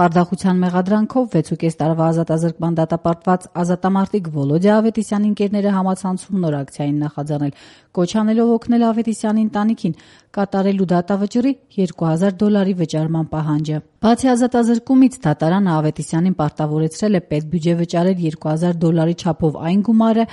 Խարդախության մեղադրանքով 6,5 տարվա ազատազրկման դատապարտված ազատամարտիկ Վոլոդյա Ավետիսյանի ընկերները համացանցում նոր ակցիային նախաձեռնել, կոչ անելով օգնել Ավետիսյանի ընտանիքին կատարելու դատավճռի $2,000 վճարման պահանջը։ Բացի ազատազրկումից, դատարանը Ավետիսյանին պարտավորեցրել է պետբյուջե վճարել $2,000 չափով այն գումարը,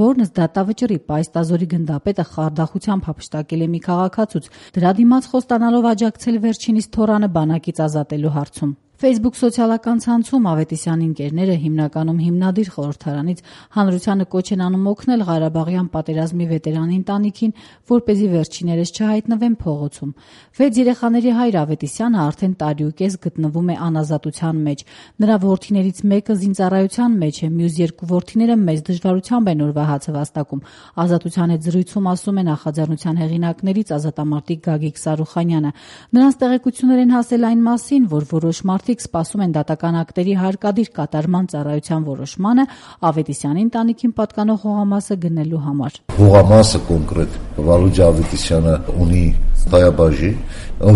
որն ըստ դատավճռի պայստազորի գնդապետը խարդախությամբ հափշտակել է մի քաղաքացուց, դրա դիմաց խոստանալով աջակցել վերջինիս թոռանը բանակից ազատելու հարցում։ Facebook սոցիալական ցանցում Ավետիսյանի ընկերները հիմնականում հիմնադիր խորհրդարանից հանրությանը կոչ են անում օգնել Ղարաբաղյան պատերազմի վետերանի ընտանիքին, որպեսզի վերջիներս չհայտնվեն փողոցում։ 6 երեխաների հայր Ավետիսյանը արդեն տարիուկես գտնվում է անազատության մեջ։ Նրա որդիներից մեկը զինծառայության մեջ է, մյուս 2 որդիները մեծ դժվարությամբ են օրվա հացը վաստակում։ Ազատության հետ զրույցում ասում է նախաձեռնության հեղինակներից ազատամարտիկ Գագիկ Սարուխանյանը։ Նրանց տեղեկություններ են հասել այն մասին, որ որոշ մարդիկ սպասում են դատական ակտերի հարկադիր կատարման ծառայության որոշմանը Ավետիսյանի ընտանիքին պատկանող հողամասը գնելու համար։ Հողամասը կոնկրետ Վոլոդյա Ավետիսյանը ունի տայաբաժի,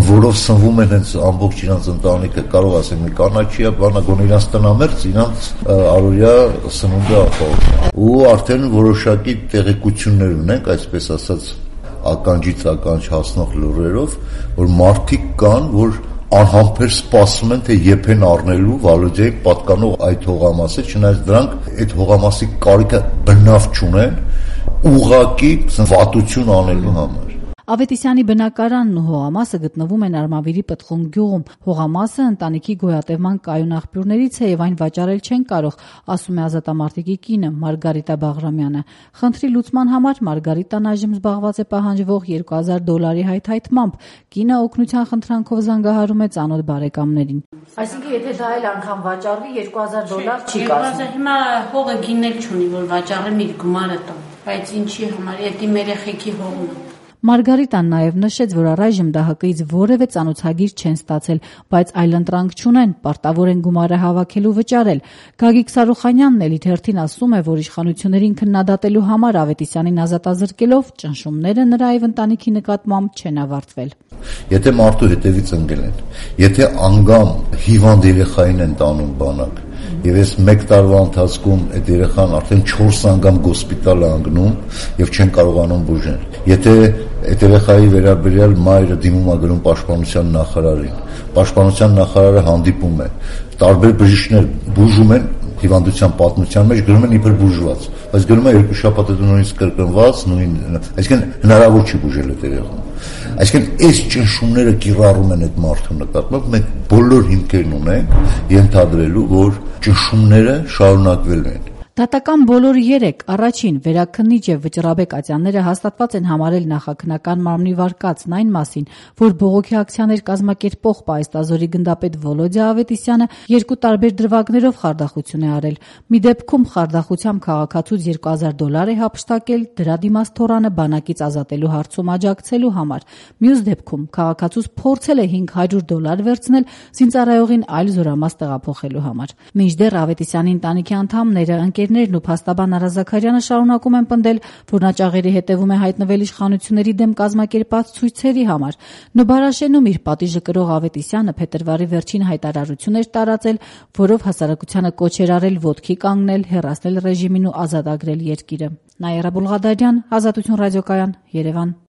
որով սնվում են հենց ամբողջ իրանց ընտանիքը, կարող ասեմ, մի կանաչիա, բանա գոնե իրանց տնամերձ, իրանց առօրյա սնունդը ապահովում։ Ու արդեն որոշակի տեղեկություններ ունենք, այսպես ասած, ականջից ականջ հասնող լուրերով, որ մարդիկ կան, որ անհամբեր սպասում են, թե երբ են առնելու Վոլոդյայի պատկանող այդ հողամասը, չնայած դրանք այդ հողամասի կարիքը բնավ չունեն, ուղղակի վատություն անելու համար։ Ավետիսյանի բնակարանն ու հողամասը գտնվում են Արմավիրի Պտղուն գյուղում։ Հողամասը ընտանիքի գոյատևման կայուն աղբյուրներից է եւ այն վաճառել չեն կարող, ասում է ազատամարտիկի կինը Մարգարիտա Բաղրամյանը։ Խնդրի լուծման համար Մարգարիտան այժմ զբաղված է պահանջվող $2,000 հայթայթմամբ։ Կինը օգնության խնդրանքով զանգահարում է ծանոթ բարեկամներին։ Այսինքն, եթե դա էլ անգամ վաճառվի, $2,000 չի կազմում։ Հիմա հողը գինել չունի, որ վաճառեմ իր գումարը տամ, բայց ինչի համար, եթե մեր երեխեքի հողն է։ Մարգարիտան նաև նշեց, որ առայժմ ԴՀԿ-ից որևէ ծանոթագիր չեն ստացել, բայց այլընտրանք չունեն, պարտավոր են գումարը հավաքելու վճարել։ Գագիկ Սարուխանյանն էլ իր հերթին ասում է, որ իշխանություններին քննադատելու համար Ավետիսյանին ազատազրկելով ճնշումները նրա եւ ընտանիքի նկատմամբ չեն ավարտվել։ Եթե մարդու հետևից ընկել են, եթե անգամ հիվանդ երեխային են տանում բանակ, եւ այս 1 տարվա ընթացքում այդ երեխան արդեն 4 անգամ գոսպիտալ է անգնում եւ չեն կարողանում բուժել։ Եթե այդ երեխայի վերաբերյալ մայրը դիմում է գրում պաշտպանության նախարարին, պաշտպանության նախարարը հանդիպում է, տարբեր բժիշկներ բուժում են հիվանդության պատմության մեջ, գրում են իբր բուժված, բայց գրում է 2 շաբաթ հետո նույնիսկ կրկնված, այսինքն հնարավոր չի բուժել այդ երեխան։ Այսինքն այս ճնշումները կիրառում են այդ մարդու նկատմամբ, մենք բոլոր հիմքերն ունենք ենթադրելու, որ ճնշումները շարունակվելու են։ Դատական բոլոր 3 առաջին վերաքննիչ եւ վճռաբեկ ատյանները հաստատված են համարել նախաքննական մարմնի վարկածն այն մասին, որ բողոքի ակցիաներ կազմակերպող պայստազորի գնդապետ Վոլոդյա Ավետիսյանը 2 տարբեր դրվագներով խարդախություն է արել։ Մի դեպքում խարդախությամբ քաղաքացուց $2,000 է հափշտակել, դրա դիմաց թոռանը բանակից ազատելու հարցում աջակցելու համար։ Մյուս դեպքում քաղաքացուց փորձել է $500 վերցնել զինծառայողին այլ զորամաս տեղափոխելու համար։ Մինչդեռ Ավետիսյանի ընտանիքի անդամները ընկերներն ու փաստաբան Արա Զաքարյանը շարունակում են պնդել, որ նա ճաղերի հետևում է հայտնվել իշխանությունների դեմ կազմակերպած ցույցերի համար։ Նոբարաշենում իր պատիժը կրող Ավետիսյանը փետրվարի վերջին հայտարարություն էր տարածել, որով հասարակությանը կոչ էր արել ոտքի կանգնել, հեռացնել ռեժիմին ու ազատագրել երկիրը։ Նաիրա Բուլղադարյան, Ազատություն ռադիոկայան, Երևան։